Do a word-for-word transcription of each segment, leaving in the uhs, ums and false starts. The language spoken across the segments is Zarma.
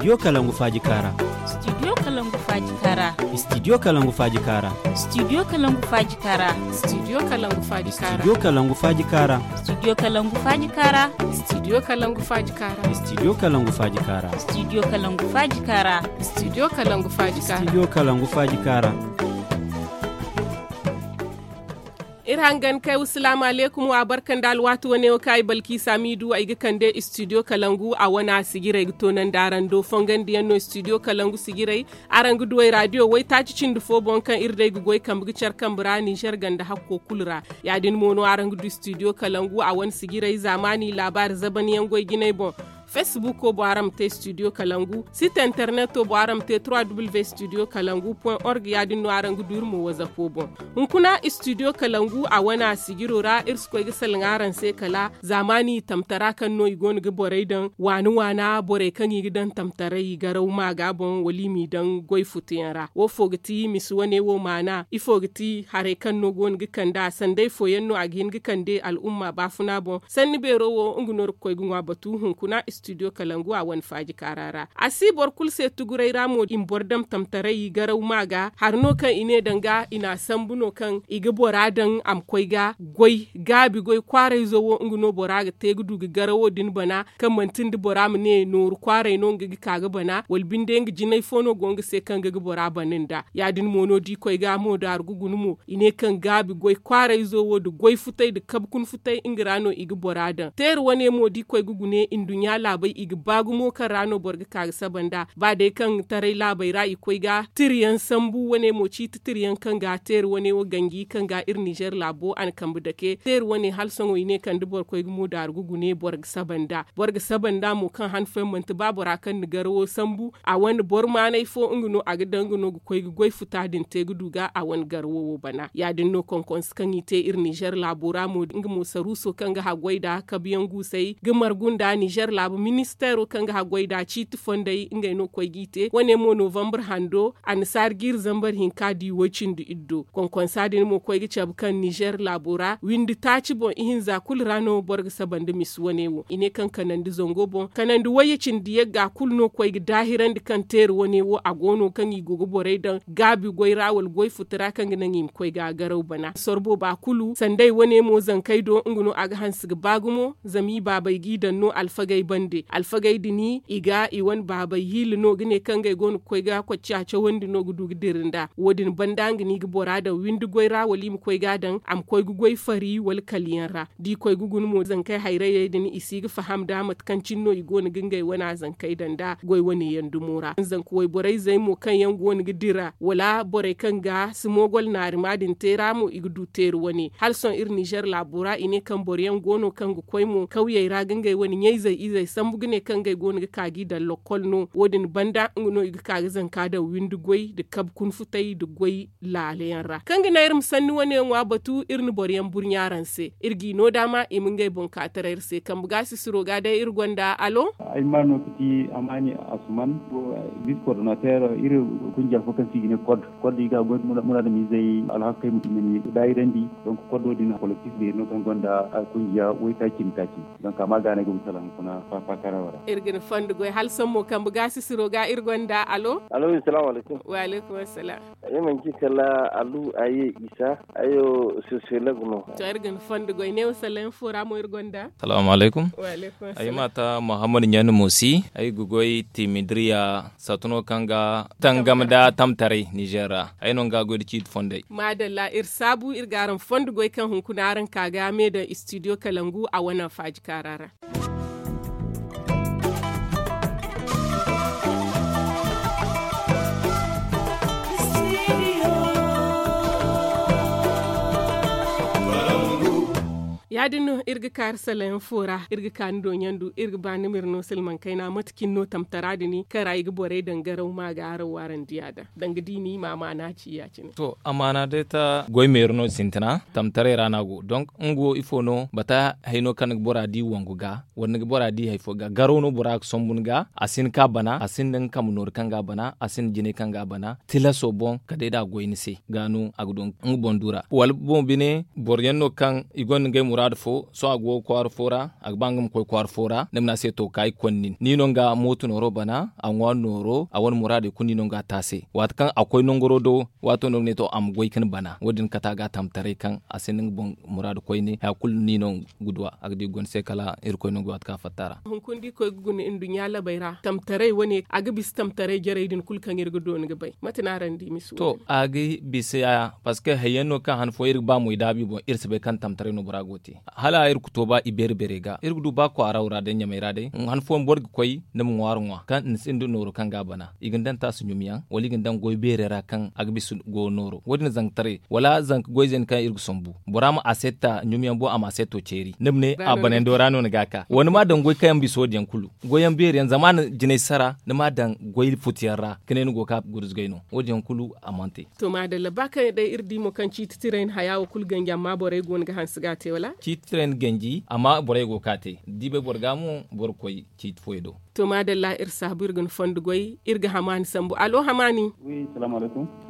Studio kalangu faaji kaara. Studio kalangu faaji kaara. Studio kalangu faaji kaara. Studio kalangu faaji kaara. Studio kalangu faaji kaara. Studio kalangu faaji kaara. Studio kalangu faaji kaara. Studio kalangu faaji kaara. Studio kalangu faaji kaara. Studio kalangu faaji kaara. Studio kalangu faaji kaara. Studio kalangu faaji kaara. Iri hangan kay wa salaamu aleykum wa barka nda alwaati wane wo kaŋ ay balkiisa m'i du ay ga kande studio kalangu a wane a sijirey ga toonandi araŋ do fongandiyaŋ no studio kalangu sijirey. Araŋ ga du ay raadiyo waytaaci cindi fo boŋ kaŋ iri day ga goy kambe ga care kambe ra ninzeer ganda hakko kulu ra. Ya- din mo no araŋ ga du studio kalangu a wane sijirey zaamaani laabaari zabanyaŋ goy jinay boŋ. Fesbuko boŋ araŋ ma te studio kalangu site interneto boŋ araŋ ma te trois w studio kalangu point org ya- din no araŋ ga du iri mo wazapo boŋ. Hunkuna studio kalangu a wane a sijiro ra iri si koy ga salaŋ araŋ se kala zaamaani tamtara kaŋ no i go no ga borey daŋ waana waana borey kaŋ i ga daŋ tamtaray garaw maaga boŋ wala i m'i daŋ goy futuyaŋ ra wo fo ga ti misa wane wo maana ifo ga ti haray kaŋ no go no ga kande a sanday fooyaŋ no a ga hin ga kande al'umma baafuna boŋ. Sanni beero wo nga no iri ga koy ga ŋwa batu hunkuna studio kalangu a wane faaji kaara ra a si boro kulu se tuguray ra mo i ma boro dam tamtaray garaw maaga hari no kaŋ i ne danga i n'a sambu no kaŋ i ga bora daŋ a ma koy ga goy gaabi goy kwaarayzo wo nga no bora ga te ga du ga garawo din bana kaŋ manti nda bora ma ne nooru kwaaray no nga ga ka ga bana wala binde nga jinay fo no go nga se kaŋ ga ga bora bana nda ya- din mo no da i koy ga mo daaru ga guna mo i ne kaŋ gaabi goy kwaarayzo wo nda goy futay nda kabe kuna futay nga ra no i ga bora daŋ teeri wane mo da i koy ga gune nduɲɲa laabey i ga ba gumo kaŋ ra no boro ga ka ga saba nda ba day kaŋ taray laabey ra i koy ga tiriyaŋ sambu wane mo ciiti tiriyaŋ kaŋ ga teeri wane wo ganji kaŋ ga iri ninzeer laabo a na kambe dake teeri wane hala sohõ i ne kaŋ da boro koy ga mo daaru ga gune boro ga saba nda boro ga saba nda mo kaŋ han fooyaŋ manti ba bora kaŋ na garawo sambu a wane boro maanay fo nga no a ga daŋ nga no ga koy ga goy futa din te ga du ga a wane garawo wo bana ya- din no konkonse kaŋ i te iri ninzeer laabo ra mo nga mo saruuso kaŋ ga haggoy nda kabuyaŋ guusay ga margu nda ninzeer laabu ministeero kaŋ ga haggoy nda ciiti fondey ngey no koy g'i te wane mo novambar hando annasaari jiiri zambar hinka di woy-cindi iddo konkonsa din mo koy ga cabe kaŋ ninzeer laabo ra windi taaci boŋ ihinza kulu ra no boro ga saba nda misa wane wo i ne kaŋ kanandi zango boŋ kanandi wayye cindi yagga kulu no koy ga daahirandi kaŋ teeri wane wo a go no kaŋ i go ga borey daŋ gaabi goy ra wala goy futu ra kaŋ ga naŋ i ma koy ga garaw bana sorbo ba kulu sanday wane mo zankey do nga no a ga hanse ga ba gumo zama i baabey g'i daŋ no alfagey bande alfagey din i ga i wane baabey hiila no ga ne kaŋ ngey go no ga koy ga kocciya cawandi no ga du ga dira nda wo- din banda nga no i ga bora daŋ windi goy ra wala i ma koy ga a daŋ a ma koy ga goy fari wala kala yaŋ ra da i koy ga guna mo zankey hayrayey din i si ga faham nda mate kaŋ cine no i go no ga ngey wane zankey daŋ nda goy wane yaŋ dumo ra zanka wayborey zey mo kaŋ yaŋ go no ga dira wala borey kaŋ ga si moogol naarima din te ra mo i ga du teeri wane hala sohõ iri ninzeer laabo ra i ne kaŋ boro yaŋ go no kaŋ ga koy mo kawyey ra ga ngey wane ɲayzey izey sambu ga ne kaŋ ngey go no ga ka g'i daŋ lokkol no wo- din banda nga no i ga ka ga zanka daŋ windi goy nda kabe kuna futay nda goy laala yaŋ ra kaŋ ga naŋ iri ma sanni wane ŋwa batu iri na boro yaŋ burɲa araŋ se iri g'i no daama i ma ngey boŋ ka taray iri se kambe ga sisiro ga day iri gonda alo ay ma no ga ti amaani asuman, vis kordonater iri kunja fo kaŋ se i ga ne kod kod i ga goy muraadamizey alhakey ma tun ga ni daayirandi. Donc kodo din kolektif beeri no kaŋ gonda kunja waytaaci nda taaci. Donc a ma gaanay ga bisa laŋ kuna faakarawa ra. Iri ga ni fondo goy hala sohõ mo kambe ga sisiro ga iri gonda alo. Alo, salaamu alaykum. Wa alaykum assalam. Ay manci kala alu aye isa. Ayo, sosolog no. To iri ga ni fondo goy ne wa salaŋ fo ra mo iri gonda. Salaamu alaykum. Ay ma ta muhammad ɲaani mo si ay ga goy timidiriya sato no kaŋ ga tangam nda tamtaray nizer ra. Ay no nga goy nda ciiti fondey. Maadalla iri saabu iri ga araŋ fondo goy kaŋ hunkuna araŋ ka ga me daŋ istidiyo kalangu a wane faaji kaara ra. Ya- din no iri ga kaari salayaŋ fo ra iri ga ka ni do ɲandu iri ga ba ni ma iri no silmaŋ kayna mate cine no tamtara din kaŋ ra i ga borey daŋ garaw ma ga araŋ waarandi ya daŋ danga da i ni i ma amaana ci ya- cine. To amaana day ta goy meeri no sintina tamtaray ra no a go donk nga wo ifo no bata hayno kaŋ ni ga bora di wangu ga wala ni ga bora di hari fo ga garo no bora ga sombu ni ga a si ni ka bana a si ni da nga kambe noori kaŋ ga a bana a si ni da jinay kaŋ ga a bana tilaso boŋ kala day da a goy ni se ga no a ga du nga boŋ du ra wala boŋ bine boro yaŋ no kaŋ i gonda ngey muraadu. Sohõ a go kwaara fo ra, a ga ba nga ma koy kwaara fo ra, ni ma ne a se to ka ay konnin ni no nga mooto nooro bana, a ŋwaari nooro a wane muraadey kulu ni no nga a te a se. Waati kaŋ a koy nangaro do, waato no ga ne to a ma goy ka ni bana wo- din kate a ga a tamtaray kaŋ a sinda nga boŋ muraadu koyne haya kulu ni no ga du a ga di ga guna se kala irkoy no ga waati kaŋ a fatta a ra. Hunkuna da i koy ga guna nduɲɲa labey ra tamtaray wane a ga bisa tamtaray jarey din kulu kaŋ iri ga doona ga bay mate no araŋ di misa wo- din. To a ga bisa ya, parceque hayyaŋ no kaŋ han fooyaŋ iri ga ba mo i daabu i boŋ iri si bay kaŋ tamtaray no bora go ga te. Hala iri ga to ba i beeri beerey ga iri ga du ba kwaara wo ra day ɲamey ra day han fooyaŋ boro ga koy ni ma ŋwaari ŋwa kaŋ ni sinda nooro kaŋ ga a bana i ga ni daŋ taasi ɲumyaŋ wala i ga ni daŋ goy beerey ra kaŋ a ga bisa go nooro wo- din zanga taray wala zanka goy zayna kaŋ iri ga sambu bora ma aseeta ɲumyaŋ boŋ a ma aseeto ceeri ni ma ne a banando ra no ni ga a ka wala ni ma a daŋ goy kaŋ yaŋ bisa wo- din yaŋ kulu. Goyyaŋ beeri yaŋ zama a na jinay sara ni ma a daŋ goy futu yaŋ ra ka ne ni go ga ka gurzugay no wo- din yaŋ kulu a mana te. To maadalla ba kaŋ day iri di mo kaŋ ciiti tiray ni haya wo kulu ganji amma borey go no ga hanse ga a te wala? Ciiti tiray ni ganji amma borey go ga ka te da i bay boro ga mo boro ga koy ciiti fooyaŋ do. To maadalla iri saabu iri ga ni fondo goy iri ga hamaani sambu allo hamaani.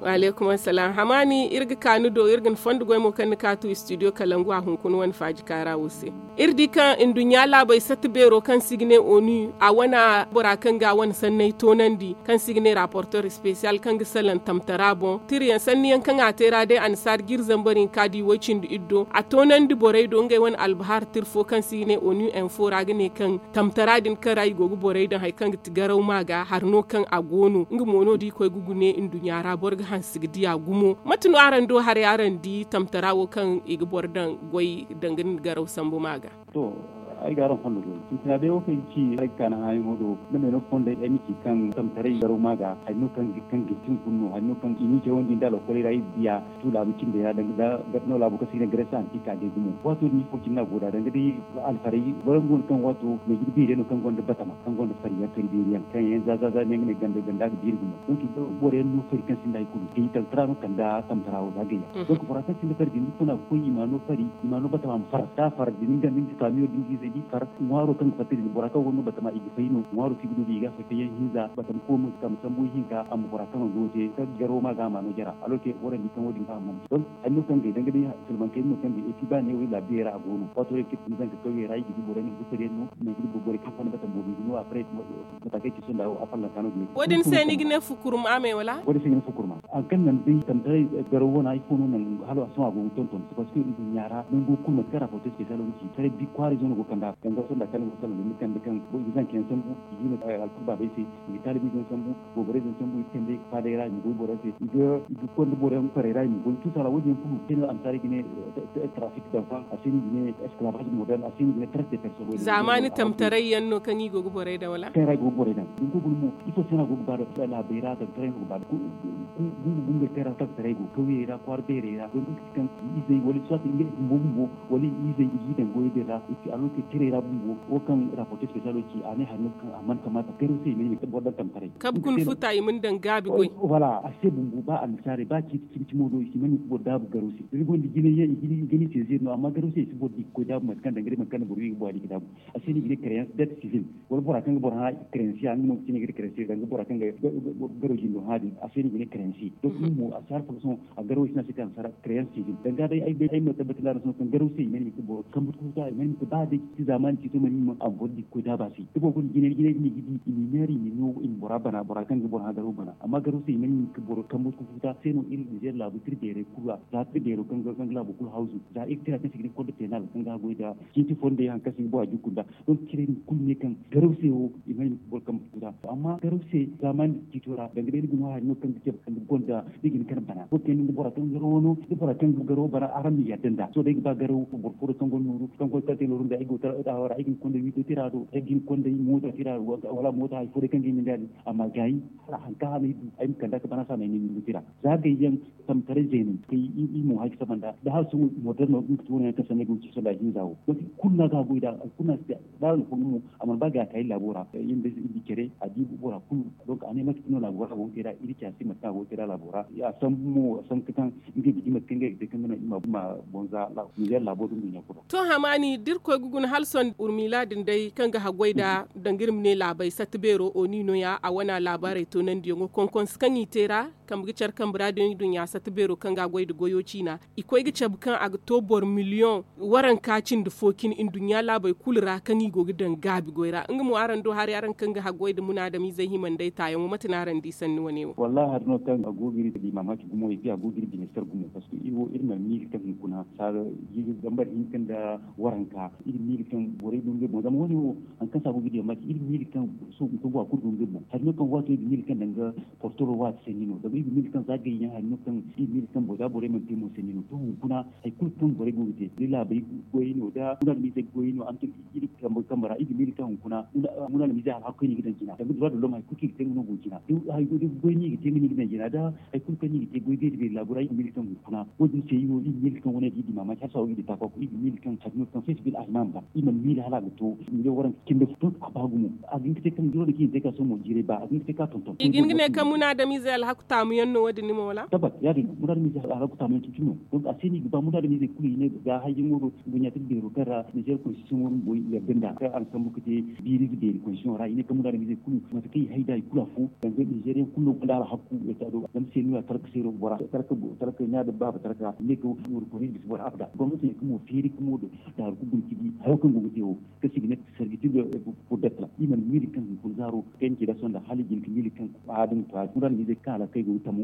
Waleekum assalaam hamaani iri ga ka ni do iri ga ni fondo goy mo kaŋ ni ka tu istidiyo kalangu a hunkuna wane faaji kaara wo se. Iri di kaŋ nduɲɲa laabey satta beero kaŋ se i ga ne onu a wane bora kaŋ ga a wane sanney toonandi kaŋ se i ga ne raporter spesiyal kaŋ ga salaŋ tamtara boŋ tirayaŋ sanniyaŋ kaŋ a te ra day annasaara ga iri zambar hinka di woy cindi iri do a toonandi borey do ngey wane albahar tira fo kaŋ se i ga ne onu info ra ga ne kaŋ tamtara din kaŋ ra i go ga borey daŋ hari kaŋ ga ti garaw ma ga hari no kaŋ a go no nga mo no da i koy ga gune nduɲɲa ra boro ga hanse ga diya gumo mate no araŋ do haray araŋ di tamtara wo kaŋ i ga boro daŋ goy danga nda garaw sambu ma ga? To ay ga araŋ fondo goy sintina day wo kaŋ i ga ci ay ga ka ni hããyaŋo do. Ni ma ay no fondey ay ma ci kaŋ tamtaray garaw ma ga hari no kaŋ ga hin ka ni guna no hari no kaŋ i n'i cawandi nda lokoley ra iri ga diya tu laabu cindey ra danga da no laabo kaŋ se i ga ne gresa anti ka day gumo waato din ifo cine no a go nd'a danga day alfarey boro yaŋ go no kaŋ waato meejin beeri yaŋ no kaŋ gonda batama kaŋ gonda fari yaŋ fari beeri yaŋ kaŋ yaŋ za za za no yaŋ ga ne ganda ganda ga beeri gumo donk i ga boro yaŋ no fari kaŋ sinda hari kulu gayyaŋ tamtara no kala nda tamtara wo za gayyaŋ donk bora kaŋ sinda fari din ifo no a ga koy i ma no fari i ma no batama ma far da a far din nga nda nga kaamiyo da nga izey da i far ŋwaaro kaŋ ga fatta din bora kaŋ gonda batama i ga fay no ŋwaaro kaŋ i ga du din i ga a fay fayyaŋ hinza batama koomo ga ka ma sambu ihinka a ma bora kaŋ a go te kaŋ garo ma ga a ma no jara alorke boro yaŋ di kaŋ wo- din ga a mana ci donk hari no kaŋ gay danga day silmaŋ kayna no kaŋ gay epi ba neewo iri laabiyaŋ ra a go no waato yaŋ kaŋ i ga zanka kawyey ra i ga di boro yaŋ ga di fari yaŋ no nangu da borey kaŋ gonda batama boobo i ga no après mataakey ci sohõ nda wo a fallanka no ga ne wo- din se ni ga ne fukurma me wala wo- din se i ga ne fukurma hari kaŋ naŋ day tamtaray garo wana ifo no naŋ hala sohõ a go ga tonton parceque nduɲɲa ra nango kulu mate kaŋ ra foto special wo ga ci taray bi kwaara izo no go ga kand'a danga sohõ nda kaŋ ni go ga salaŋ ni kande kaŋ i ga zanka yaŋ sambu i ga hima alkul baabey se i ga taalibi izo yaŋ sambu booborey izo yaŋ sambu i ga kande faaday ra i ma goy boro yaŋ se i ga konda boro yaŋ farey ra i ma goy tuusa ra wo- din yaŋ kulu se no annasaarey ga ne trafik d'enfant a se no i ga ne esclavage moderne a se no i ga ne traite de personne wo- din yaŋ zaamaani tamtaray yaŋ no kaŋ i go ga borey daŋ wala kaŋ ra i go ga borey daŋ da ni go ga guna mo ifo se no a go ga ba da laabey ra tamtaray no ga ba da gungu gungu kaŋ ra tamtaray go kawyey ra kwaara beerey ra donk i ga ci kaŋ i izey wala soit ngey bumbo bumbo wala i izey i g'i daŋ goyey din ra i ci alorke tirey ra bumbo wo kaŋ raporte special wo ci a ne hari no kaŋ a mana kamaata garo se i ma ne i ma boro daŋ tamtaray kabe kuna futa i ma ni daŋ gaabi goy voilà a se bumbo ba annasaarey ba ciiti cimi cimo do i si ma ne i ma boro daabu garo se da ni gonda jinay yaŋ i ga ni saisir no amma garo se i si boro di ga koy daabu mate kaŋ danga day mate kaŋ boro wi ga bora di ga daabu a se no i ga ne créance dette civile wala bora kaŋ ga boro hã créancier nga no ga ci no i ga ne créancier danga bora kaŋ ga garo jindo hã din a se no i ga ne créancier donc nga mo a si har fo ga sohõ a garo i si no a se kaŋ a si har créance civile danga day ay bay ay ma tabbatar da araŋ sohõ kaŋ garo se i mana hin ga boro kambu ga futa i mana hin ga ba day ci zaamaani ciito mana hin ma a ma boro di ga koy daaba se da boro gonda jinay jinay din i ga di i m'i neera i m'i no i ma bora bana bora kaŋ ga boro hã garo bana amma garo se i mana hin ga boro kambu ga futa se no iri nizeer laabu tira beerey kulu ra za tira beero kaŋ ga laabo kulu hawzu za iri tira kaŋ se i ga ne code pénal kaŋ ga goy nda ciiti fondey haŋ kaŋ se i ga bora jukku nda donc cire din kulu ne kaŋ garaw se wo i mana hin ga boro kambu ga futa amma garaw se zaamaani ciito ra danga day ni ga no hari no kaŋ ga cabe kaŋ ga gonda ni ga hin ga kande bana boro kaŋ ni ga bora kaŋ ga garaw wano da bora kaŋ ga garaw bana araŋ ma yadda nda sohõ day ay ga ba garaw boro fo do kaŋ gonda nooru kaŋ gonda kaŋ te nooru nda ay ga go tara dawa ra ay ga hin ga konda wiito tira do ay ga hin ga konda moota tira do wala moota hari fo day kaŋ ga ay ma nda din a ma gaayi hala haŋ kaŋ a ma ay du ay ma kand'a ga bana se a ma ay no wiito tira za gayyaŋ tamtaray zeeney kay iri mo hay ga saba nda da hala sohõ moderne no nga ga ti wane yaŋ kaŋ sanda ay go ga ci sohõ nda a hinza wo donc kulu no a ga a goy nd'a kulu no a si te da araŋ ga fongu mo a mana ba ga a ka iri laabo ra iri ma bay se iri di care a di bora kulu donc a ne mate kaŋ no laabo ra a go ga te nd'a iri care se mate kaŋ a go ga te nd'a laabo ra a sambu mo a sambu ka kaŋ ngey ga di mate kaŋ ngey ga te kaŋ ga naŋ iri ma boŋ za nizeer laabo da nduɲɲa kulu ra to hamaani da irkoy ga guna Alson urmila din day kaŋ ga haggoy nda danga iri ma ne laabey satta beero oni nooya a wana laabaarey toonandiyaŋo konkonse kaŋ i te ra, kambe ga care kambe ra din duɲɲa satta beero kaŋ ga a goy nda goyo ciina. I koy ga cabe kaŋ a ga to boro miliyoŋ waranka cindi fo cine nduɲɲa laabey kulu ra kaŋ i go ga daŋ gaabi goy ra nga mo araŋ do haray araŋ kaŋ ga haggoy nda munaadamizey hima nd'ey taayaŋo mate no araŋ di sanni wane wo? Wallaahi hari no kaŋ a go ga iri di maamaaci gumo i ga a go ga iri bine sar gumo parceque iri wo iri mana miila kaŋ hunkuna saara jiiri zambar hinka nda waranka iri miila kaŋ borey go ngey boŋ zama wane wo hari kaŋ se a go ga iri di maamaaci iri miila kaŋ sohõ hunkuna go a kulu go ngey boŋ hari no kaŋ waato iri ga miila kaŋ danga portoro waati sanni no zama iri ga miila kaŋ za gayyaŋ hari no kaŋ iri ga miila kaŋ boŋ za borey mana te mo sanni no to hunkuna hari kulu kaŋ borey go ga te da laabey goyey no da munaadamizey goyey no araŋ to iri kambe ra iri ga miila kaŋ hunkuna munaadamizey alhaku kaŋ no i ga daŋ jina danga droit de l'homme hari kulu kaŋ i ga te nga no go jina da goy no i ga te nga no i ga daŋ jina da hari kulu kaŋ no i ga te goy beeri beeri laabo ra iri ga miila kaŋ hunkuna wo- din se iri wo iri ga miila kaŋ wane da iri di maamaaci hala sohõ iri ga di taakwa kulu iri ga miila kaŋ hari no kaŋ feesi bil ahima ma ba iri mana miila hala a ga to miila waranka cindi fo a ba gumo a ga hin ga te kaŋ duro da kaŋ i ga te ka sohõ mo jiiray ba a ga hin ga te ka tonton i ga hin ga ne kaŋ munaadamizey alhaku taamu yaŋ no wo- din ni mo wala tabbat ya- din no munaadamizey alhaku taamu yaŋ cine cine no donc a se no i ga ba munaadamizey kulu i ne ga hayyaŋo do duɲɲa tira beero kaŋ ra nizeer konstitiyoŋo bumbo i yadda nd'a kaŋ araŋ sambu ga te biiriize beeri konstitiyoŋo ra i ne kaŋ munaadamizey kulu mate kaŋ i hay nd'a i kulu afo danga nizeeriyaŋ kulu no gonda alhaku ya caado zama se no ya talka seero bora talka ɲa da baaba talka i ne kaŋ wurkoni bisa boro abada gomnati ne kaŋ mo feeri kaŋ mo daaru ga guna ga di hayo kaŋ go ga te wo kaŋ se i ga ne servitude pour d'être i mana miila kaŋ hunkuna zaaro kaŋ i na ci da sohõ nda hala i ga hin ga miila kaŋ a din kwaara munaadamizey kaŋ alhakey go ga tamu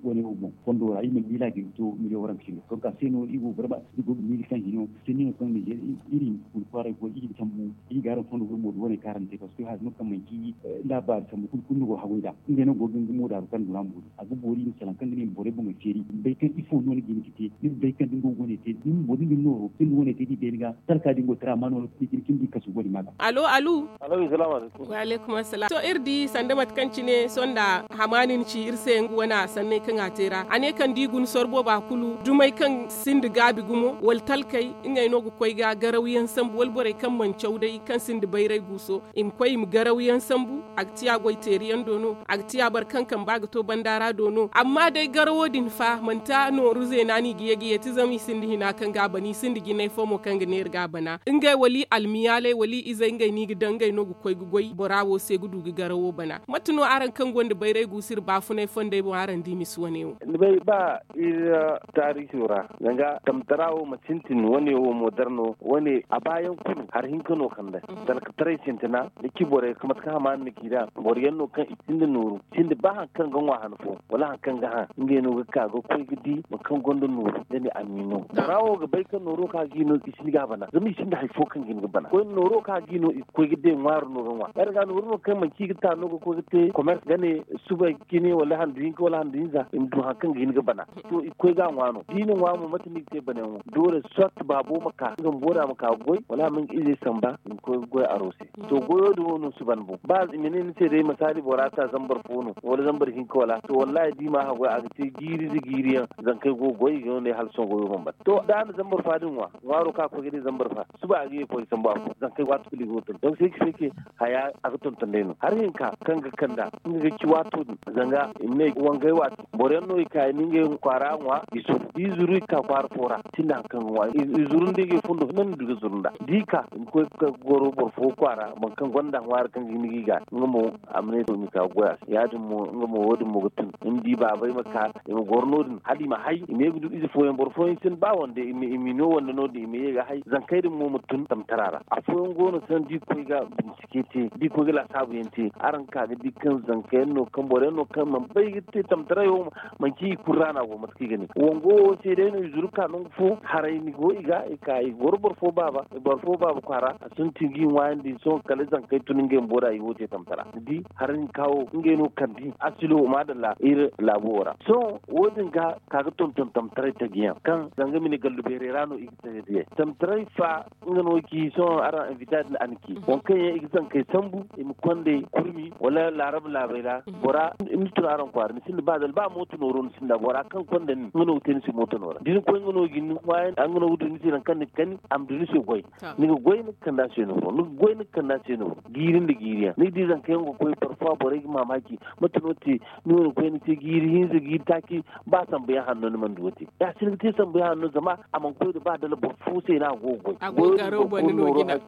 wane wo boŋ fondo ra i mana miila a ga hin ga to miliyoŋ waranka cine donc a se no iri go vraiment iri go ga miila kaŋ hino sanni no kaŋ nizeer iri hunkuna kwaaray go iri ga sambu iri ga araŋ fondo gurmo da wane kaŋ araŋ te parceque hari no kaŋ manci laabaari sambu kulu kulu no go ga haggoy nd'a ngey no go ga nga mo daaru kaŋ duna mo a ga boori i ma salaŋ kaŋ ga ne i ma borey boŋey feeri i ma bay kaŋ ifo no ni ga hin ga te ni ma bay kaŋ da ni go ga wane te ni ma boori ni ga ni nooro da ni ga wane te da i bay ni ga talka din go tara amma nooro kaŋ ni ga hin ga ni di kasu go ni ma ga alo alu alo salaamu alaykum wa alaykum assalam to iri di sanda mate kaŋ cine sohõ nda hamaani ni ci iri se nga wana sanney kaŋ a te ra a ne kaŋ da i guna sor booba kulu dumey kaŋ sinda gaabi gumo wala talkey ngey no ga koy ga garaw yaŋ sambu wala borey kaŋ mana caw day kaŋ sinda bayray guuso i ma koy i ma garaw yaŋ sambu a ga ti a goy teeri yaŋ do no a ga ti a boro kaŋ kamba ga to banda ra do no amma day garawo din fa manti a nooru zeena no i ga ye ga yeeti zama i sinda hina kaŋ ga a bana i sinda jinay fo mo kaŋ ga neera ga a bana ngey wala i almiyaaley wala i izey ngey no i ga daŋ ngey no ga koy ga goy bora wo se ga du ga garawo bana mate no araŋ kaŋ gonda bayray guusu iri baafunay fondey boŋ araŋ di misi wane wo ni bay ba iri taariiso ra danga tamtara wo ma sintin wane wo moderno wane a baayaŋ kulu hari hinka no kande talkataray sintina ni ci borey mate kaŋ hamaani na ci nd'a boro yaŋ no kaŋ i sinda nooru sinda ba hari kaŋ ga ŋwa han fo wala hari kaŋ ga haŋ ngey no ga ka ga koy ga di boro kaŋ gonda nooru da ni amiino bora wo ga bay kaŋ nooro kaŋ a ga i no i sinda ga a bana zama i sinda hari fo kaŋ ga hin ga bana koyne nooro kaŋ a ga i no i ga koy ga day ŋwaari no ga ŋwa ya- din ga nooru no kaŋ manci i ga ta no ga koy ga te commerce ga ne suba cine wala handu hinka wala handu hinza i ma du hari kaŋ ga hin ga bana to i ga koy ga a ŋwa no da i na ŋwa mo mate no i ga te banayaŋo doole soit baabo ma ka nga ma boora ma ka ga goy wala a ma nga izey samba i ma koy ga goy aro se to goyo din wo no si ban boŋ ba i ma ne ni se day masaali bora ta zambar fo no wala zambar hinka wala to wallahi da i ma haggoy a ga te jiiri nda jiiri yaŋ zankey go ga goy i ga no ne hala sohõ goyo mana ban to da a na zambar fa din ŋwa ŋwaaro kaŋ a koy ga day zambar fa suba a ga ye koy sambu afo zankey waati kulu i go ga tonton donc se ki se ke haya a ga tonton day no hari hinka kaŋ ga kand'a nga ga ci waato din zanga i ma ne wangay waati boro yaŋ no i ka i na ngey kwaara ŋwa i zuru da i zuru i ka kwaara fo ra sinda hari kaŋ ga ŋwa i zuru nda ngey fundo hinne no i du ga zuru nd'a da i ka i ma koy ga goro boro fo kwaara boro kaŋ gonda ŋwaari kaŋ ga hin ga i ga nga mo a ma ne to i ma ka ga goy a se ya- din mo nga mo wo- din mo ga tun i ma di baabey ma ka i ma goro no- din hala i ma hay i ma ye ga du ize fooyaŋ boro fooyaŋ sinda ba wande i ma i ma i no wande no- din i ma ye ga hay zankey din mo ma tun tamtara ra afooyaŋ go no sanda da i koy ga bincike te da i koy ga laasaabu yaŋ te araŋ ga ka ga di kaŋ zanka yaŋ no kaŋ boro yaŋ no kaŋ mana bay ga te tamtaray wo manci i kulu ra no a go mate kaŋ i ga ne wango wo se day no i zuru ga ka nangu fo haray ni go i ga i ka i goro boro fo baaba boro fo baaba kwaara a sintin ga i ŋwaayandi sohõ kala zankey tun ngey bumbo da i wo te tamtara ni di hari hinka wo ngey no kande asilo maadalla iri laabo wo ra sohõ wo- din ga ka ga tonton tamtaray taji yaŋ kaŋ zanga mine gallu beerey ra no i ga taji diyey tamtaray fa nga no ci sohõ araŋ invita din a na ci waŋ kaŋ yaŋ i ga zankey sambu i ma kondey kurmi wala laarab laabey ra bora ni tun araŋ kwaara ni sinda ba dala ba mooto nooro ni sinda bora kaŋ konda nin nga no ga te ni se mooto noora da ni koy nga no ga ni ŋwaayan nga no ga du ni se nangu kaŋ ni ga kani a ma du ni se goy ni ga goy ni ga kande a se nooro ni ga goy ni ga kande a se nooro jiiri nda jiiri yaŋ ni ga di zanka yaŋ ga koy parfois borey ga maamaaci mate no te ni wane koyne te jiiri hinza jiiri taaci ba sambu yaŋ hanno ni mana du ga te ya si ni ga te sambu yaŋ hanno zama a mana koy nda ba dala boro fo se no a go ga goy goyo Garaw banda no jina.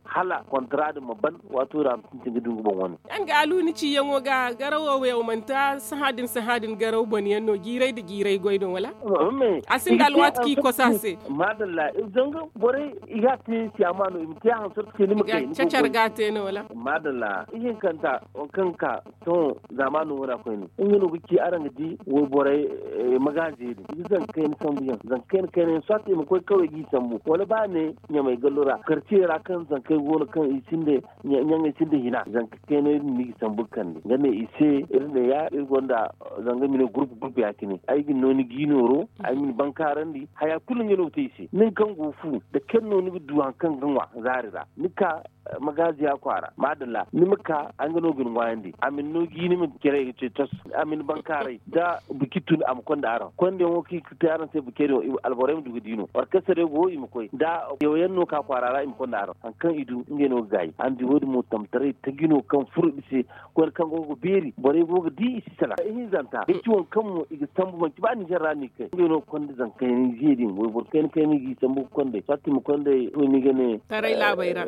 Hala kontara din ma ban, waato ra a ma sintin ga du nga boŋ wane. Yaŋ ga alu ni ciyaŋo ga garawo wo yaŋ manti sahã din sahã din garaw banda yaŋ no jiiray nda jiiray goy no wala? A sinda alwaati kaŋ i kosa se. Maadalla, zanga borey i ga a te siyaama no i ma te a hanse. Cacar ga a te no wala? Maadalla, ihinkanta waŋ kaŋ ga ka sohõ zaamaano wane a koyne, nga no ga ci araŋ ga di wayborey, magaaze din i ga zanka kayna sambu yaŋ zanka kayna kayna yaŋ soit i ma koy kawey g'i sambu wala ba ne ɲamay gallo ra karciye ra kaŋ zankey go no kaŋ i sinda ɲaŋey sinda hina zanka kaynay din no i ga sambu ga kande nga ne i se. Iri ne ya iri gonda zanga i ma ne gurpu gurpu ya- cine ay ga ni no ni g'i nooro ay ma ni bankaarandi haya kulu nga no ga te i se nin kaŋ go fu da kaŋ no ni ga du hari kaŋ ga ŋwa zaari ra ni ka magaaziya kwaara maadalla ni ma ka ay ga no ga ni ŋwaayandi a ma ni no g'i ni ma care ga ce cos a ma ni bankaaray da buki tun a ma konda araŋ konda yaŋo kaŋ i ga te araŋ se buki yaŋ alborey ma du ga di no orkestarey go i ma koy da yaw yaŋ no ka kwaara ra i ma konda araŋ hari kaŋ i du ngey no ga gaayi araŋ di wo- din mo tamtaray taji no kaŋ furo i se koyne kaŋ go ga beeri borey go ga di i si salaŋ ihinzanta da ci waŋ kaŋ mo i ga sambu manti ba ninzeer ra no i ga kay ngey no ga konda zankayni ze din wayboro kayna kayna i g'i sambu ga konday fatima konday to ni ga ne taray laabey ra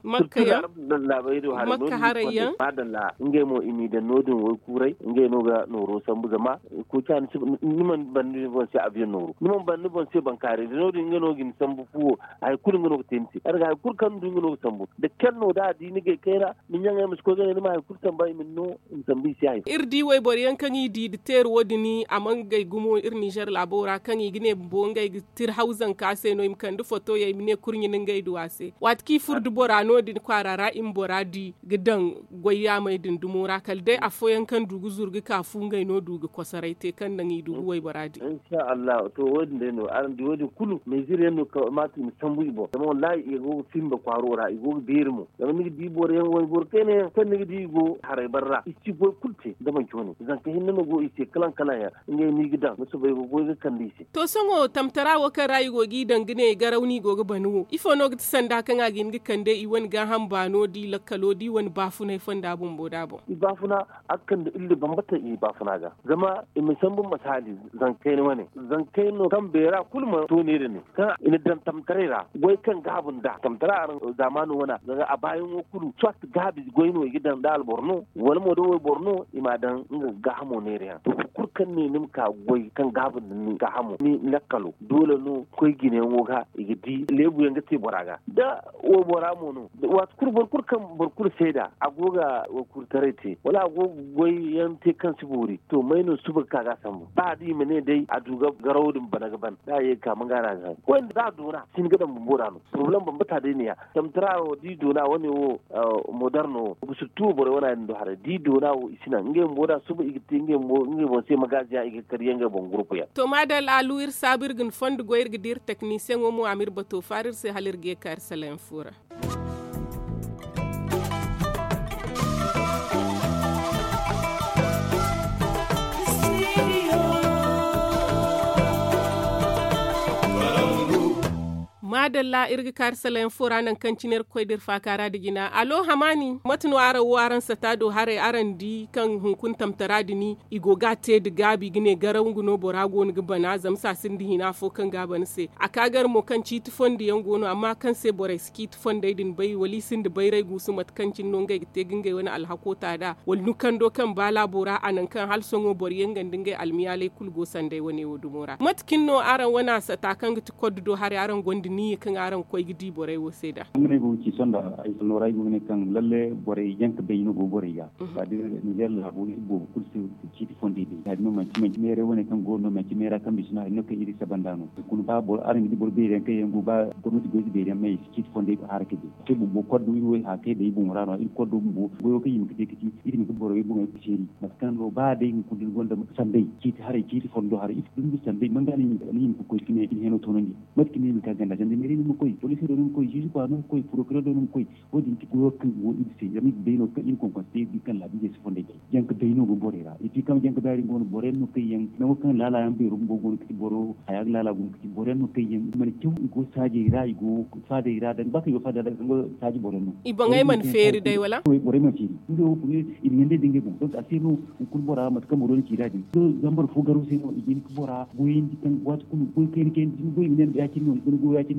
makka yaŋ laabey do haray makka haray yaŋ madalla ngey mo i m'i daŋ no- din waykuuray ngey no ga nooro sambu zama koy ca ni si ni mana banda ni boŋ se abiyaŋ nooru ni mana banda ni boŋ se bankaaray da no- din ngey no ga ni sambu fuwo hari kulu nga no ga te ni se araga hari kulu kaŋ ni du nga no ga sambu da kelle no da a di ni gay kayna ni ɲaŋey ma si koy ga ne ni ma hari kulu samba i ma ni no i ma sambu i se hari kulu iri di wayboro yaŋ kaŋ i di nda teeri wo- din a mana gay gumo iri ninzeer laabo ra kaŋ i ga ne bumbo ngey ga tira haw zanka se no i ma kande foto yaŋ i ma ne kurɲe ni ngey du a se waati kaŋ i furo nda bora no- din kwaara ra i ma bora di ga daŋ goy yaamey din dumo ra kala day afooyaŋ kaŋ du ga zuru ga ka fu ngey no du ga kosoray te kaŋ naŋ i du ga waybora di insha allahu to wo- din day no araŋ di wo- din kulu meezir yaŋ no kamata i ma sambu i boŋ zama wallahi i go ga simba kwaaro ra i go ga beeri mo zama ni ga di boro yaŋ wayboro kayna yaŋ kaŋ ni ga di i go haray bare ra i si goy kulu te da manci wane zanka hinne no go i se kalaŋ kalaŋ yaŋ ngey no i ga daŋ ga soobay ga goy ga kande i se to sohõ tamtara wo kaŋ ra i go g'i daŋ ga ne garaw no i go ga ban wo ifo no ga ti sanda kaŋ a ga hin ga kande i wane gaaham baano da i lakkalo da i wane baafunay fonda bumbo da boŋ i baafuna a ga kande illa bambata i baafuna ga zama i ma sambu masaali zankayna wane zankayna no kaŋ beera kulu ma to neera ne kaŋ i na daŋ tamtaray ra goy kaŋ gaabu nd'a tamtara araŋ zaamaano wana zanga a baayaŋo kulu soit gaabi goy no i ga daŋ da alboro no wala mo da wayboro no i m'a daŋ nga ga gaahamo neera yaŋ to boro kulu kaŋ ne ni ma ka goy kaŋ gaabu nda ni gaahamo ni lakkalo doole no koy jinayaŋo ga i ga di leebu yaŋ ga te bora ga da waybora mo no waati kulu boro kulu kaŋ boro kulu seeda a go ga waykuuritaray te wala a go ga goy yaŋ te kaŋ si boori to may no suba ga ka ga a sambu ba da i ma ne day a du ga garawo din bana ga ban da a ye ga ka manga ra ga hari koy nda za a doona si hin ga daŋ bumbo ra no poroblem bambata day ne ya tamtara wo da i doona wane wo modar no wo ga si tuwo borey wana din do haray da i doona wo i si naŋ ngey bumbo da suba i ga te ngey boŋ se magaaziyaŋ i ga kar yaŋ ngey boŋ gurpu yaŋ to maadalla alu iri saabu iri ga ni fondo goy iri ga di iri teknisiyeŋo mo a ma iri bato faara iri se hala iri ga ye ka iri salayaŋ fo ra maadalla iri ga kaari salayaŋ fo ra naŋ kaŋ cine iri ga koy da iri faaka ra nda jina alo hamaani mate no araŋ wo araŋ sata do haray araŋ di kaŋ hunkuna tamtara din i go ga a te nda gaabi ga ne garaw nga no bora go no ga bana zama se a sinda hina fo kaŋ ga a bana se a ka gar mo kaŋ ciiti fondo yaŋ go no amma kaŋ se borey si ciiti fondey din bay wala i sinda bayray guusu mate kaŋ cine no ngey ga te ga ngey wane alhako ta nd'a wala nukando kaŋ ba laabo ra a naŋ kaŋ hala sohõ boro yaŋ nga nda ngey almiyaaley kulu go sanday wane wo dumo ra mate cine no araŋ wane a sata kaŋ ga ti koddo do haray araŋ gonda niyya kaŋ araŋ ga koy ga di borey wo se nd'a ay ga ne kaŋ lalle borey jaŋ ka bay no go borey ga ba da ninzeer laabo iri boobo kulu se ciiti fondey day ya- din no manti manti meeray wane kaŋ go no manti meera kaŋ bisina hari no kaŋ iri saba nd'a no hunkuna ba boro araŋ ga di boro beeri yaŋ kaŋ yaŋ go ba gomnati goy ga beeri yaŋ ma i si ciiti fondey hara ka bay te bumbo koddo iri wo hari kaŋ day boŋo ra no iri koddo bumbo goyo kaŋ i ma ga te ga ci iri ma ga boro way boŋey ga seeri mate kaŋ no ba day hunkuna da ni gonda sambey ciiti haray ciiti fondo haray ifo dumbi sambey manga no i ma ga koy ga ne i ma heno toonandi mate kaŋ no i ma ga ganda zanda meeray no ni ma koy poliisey do ni ma koy ziizi kwaara no ni ma koy porokireer do ni ma koy wo- din ti goyo kaŋ go iri se zama iri ga bay no kaŋ iri konkonse te iri kaŋ laabiizey si fondey te jaŋ ka bay no go borey ra et puis kaŋ jaŋ ka bay din go no boro yaŋ no kaŋ yaŋ nango kaŋ laala yaŋ beero bumbo go no ga ti boro haya ga laala go no ga ti boro yaŋ no kaŋ yaŋ i mana caw i go saajey ra i go faadey ra danga ba kaŋ i go faada ra danga saaji boro yaŋ no i boŋey mana feeri day wala borey mana feeri ngey wo kulu i na ɲandey da ngey boŋ donc a se no hunkuna bora mate kaŋ boro na ci da din zambar fo garo se no i ga hin ga bora goyandi kaŋ waati kulu goy kayna kayna da ni goy i ma ne ni ya- cine no ni goy ya- cine